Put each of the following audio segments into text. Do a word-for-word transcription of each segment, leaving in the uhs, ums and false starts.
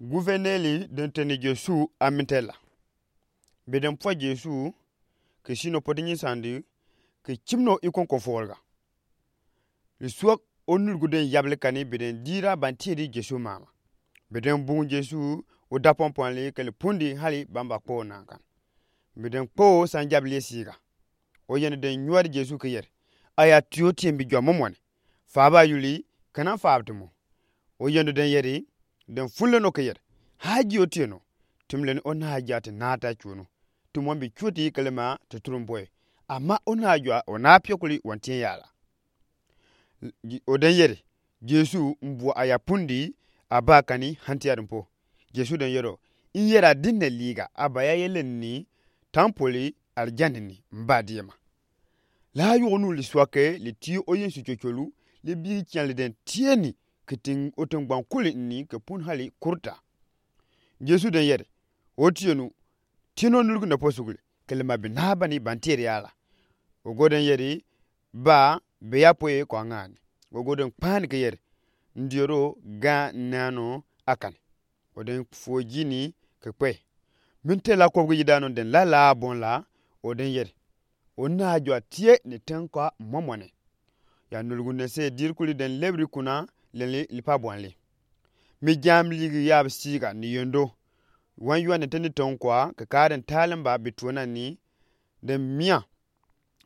Guverneli den teni Jesu a minte la. Bi den pua Jesu ke si nopɔ ti nyinsandi ke cim no i konkofɔriga. Li suak o nulgu den yabli kani bi den diira bantiedi Jesu mama. Bi den bungu Jesu o dapɔnpɔn li ke li pundi hali bamba kpoo naakan. Bi den kpoo san jabli ye siiga. O yende den nyuwadi Jesu ke yedi, aya tio tien bi jua mɔmɔne. Faaba yuli, kana faaba ti mo. O yende den yedi, den funle no ke yedi, haaji o tien no. Tumleni o naa jua ti naa ta cuonu. Ti mo mbi cuoti ke li ma ti turumpɔye. Ama o naa jua o naa piokuli wantien yala. O den yedi, Jesu mbua aya pundi, aba kani hantiadi mpo. Jesu den yedi o, n yedi a dinne liiga aba ya yeleni tampoli alijani ni mba diema. La yugunu li suake li ti o yin su cocolu li bi kian li den tieni ke tin o tin gbankuli ni ke pun hali kurta. Jesu den yedi, o tienu, tieno nulgu ne po suguli ke li ma bi naa bani bantiedi ala. O go den yedi, ba be ya poye ko angani. O go den kpani ke yedi, n diedi o ga nano akani. O den fuo jini ke kpe. Minte la kobgi yidano den lala bon la, o den yedi, o naa jua tie ni ten ko mɔmɔne. Ya nulgu ne se dirikuli den lebiri kuna leni li pa bon li. Mi jam ligi yab siiga ni yendo. Wan yua ne teni ten ko ke kaa den taalemba bi tuonani den mia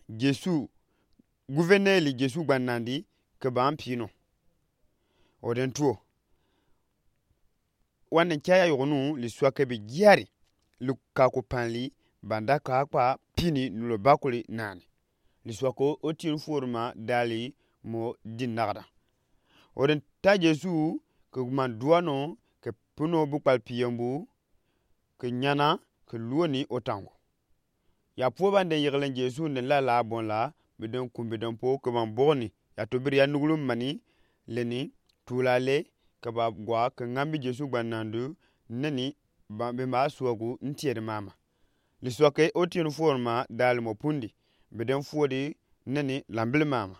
Jesu, guverneli Jesu gbanandi ke ba mpino. O den tuo. Wan ne caya yugunu li suake bi jiari li kaku panli banda ka kpa pini nulo bakuli nani. Li suake o tienu fuoruma dali mo di nagada. O den ta Jesu ke man duano ke puno bukpal piyembu ke nyana ke luoni o tango. Ya puo ban den yegelen Jesu n den lala bon la, bi den kumbi den po ke ban bogni. Ya tobiri ya nugulu mani leni tuulale ke ba gua ke ngambi Jesu gbanandu neni ba bi ma suagu n tiedi mama. Li suake o tienu fuoruma dali mo pundi bi den fuodi neni lambili mama.